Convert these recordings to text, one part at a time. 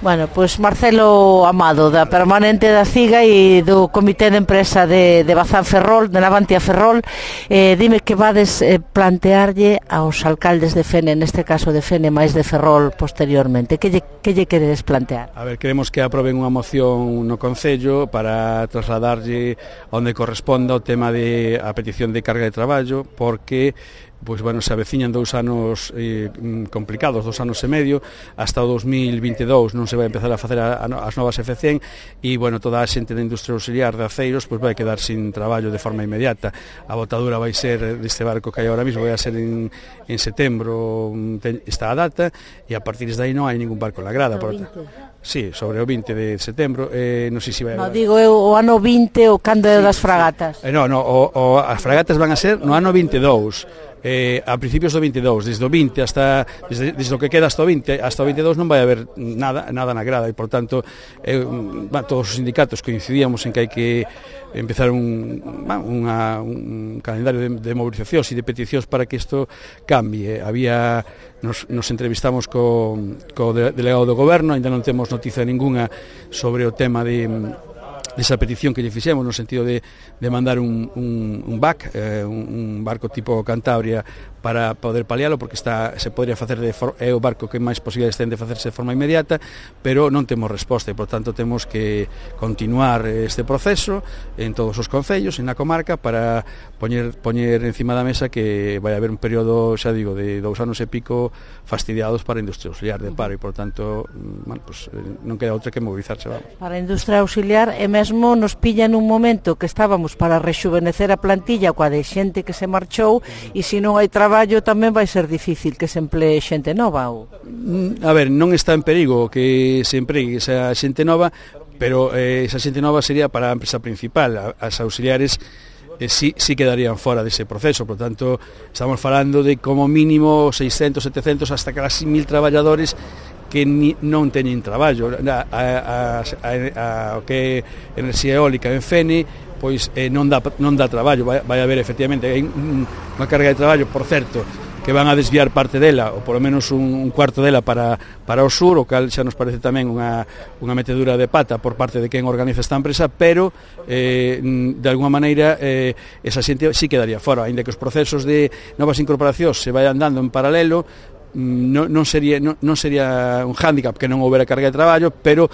Bueno, pois Marcelo Amado, da Permanente da CIGA e do Comité de Empresa de Bazán Ferrol, de Navantia Ferrol, dime que vades plantearlle aos alcaldes de Fene, neste caso de Fene, máis de Ferrol posteriormente. Que lle queredes plantear? A ver, queremos que aproben unha moción no Concello para trasladarlle onde corresponda o tema de a petición de carga de traballo, porque pois, bueno, se aveciñan 2 anos complicados, 2 anos e medio, hasta o 2022 non se vai empezar a facer as novas F100 e, bueno, toda a xente da industria auxiliar de aceiros pois vai quedar sin traballo de forma inmediata. A botadura vai ser deste barco que hai ahora mismo, vai a ser en setembro, está a data, e a partir de aí non hai ningún barco na grada. Sí, sobre o 20 de setembro, non sei se vai... No, digo eu, o ano 20 o cando é das fragatas. As fragatas van a ser no ano 22. A principios do 22, desde o 20 hasta desde o que queda hasta o 20 hasta o 22 non vai haber nada na grada e, por tanto, todos os sindicatos coincidíamos en que hai que empezar un calendario de movilizacións e de peticións para que isto cambie. Nos entrevistamos co delegado do goberno, ainda non temos noticia ninguna sobre o tema desa petición que lle fixemos, no sentido de mandar un BAC, un barco tipo Cantabria, para poder palialo, porque se podría facer é o barco que máis posibilidades ten de facerse de forma inmediata, pero non temos resposta e, por tanto, temos que continuar este proceso en todos os concellos, en a comarca, para poñer encima da mesa que vai haber un período, xa digo, de 2 anos e pico fastidiados para a industria auxiliar de paro e, por tanto, bueno, pues, non queda outra que movilizarse, vamos. Para a industria auxiliar, e mesmo nos pilla nun momento que estábamos para rexuvenecer a plantilla coa de xente que se marchou, e se non hai traballo tamén vai ser difícil que se emplee xente nova. A ver, non está en perigo que se empregue esa xente nova, pero esa xente nova sería para a empresa principal. As auxiliares sí quedarían fora dese proceso, por tanto, estamos falando de como mínimo 600, 700, hasta casi 1000 traballadores que non teñen traballo. O que é enerxía eólica en Fene, pois non dá traballo, vai haber efectivamente unha carga de traballo, por certo, que van a desviar parte dela, ou polo menos un cuarto dela para o sur, o cal xa nos parece tamén unha metedura de pata por parte de quen organiza esta empresa, pero de alguma maneira esa xente sí quedaría fora, aínda que os procesos de novas incorporacións se vayan dando en paralelo. Non sería un hándicap que non houbera carga de traballo, pero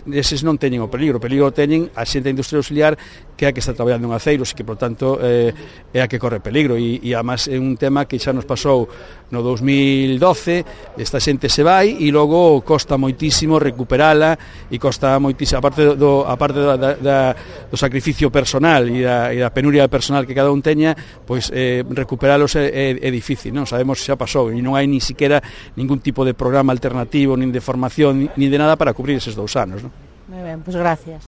eses non teñen o peligro teñen a xente da industria auxiliar, que é a que está traballando en aceiros e que, por tanto, é a que corre peligro, e además é un tema que xa nos pasou no 2012, esta xente se vai e logo costa moitísimo recuperala, e costa moitísimo, aparte do sacrificio personal e da penuria personal que cada un teña, pois recuperalos é difícil, non sabemos se xa pasou, e non hai ni siquiera ningún tipo de programa alternativo, nin de formación, nin de nada para cubrir eses 2 anos, non? Moi ben, pois gracias.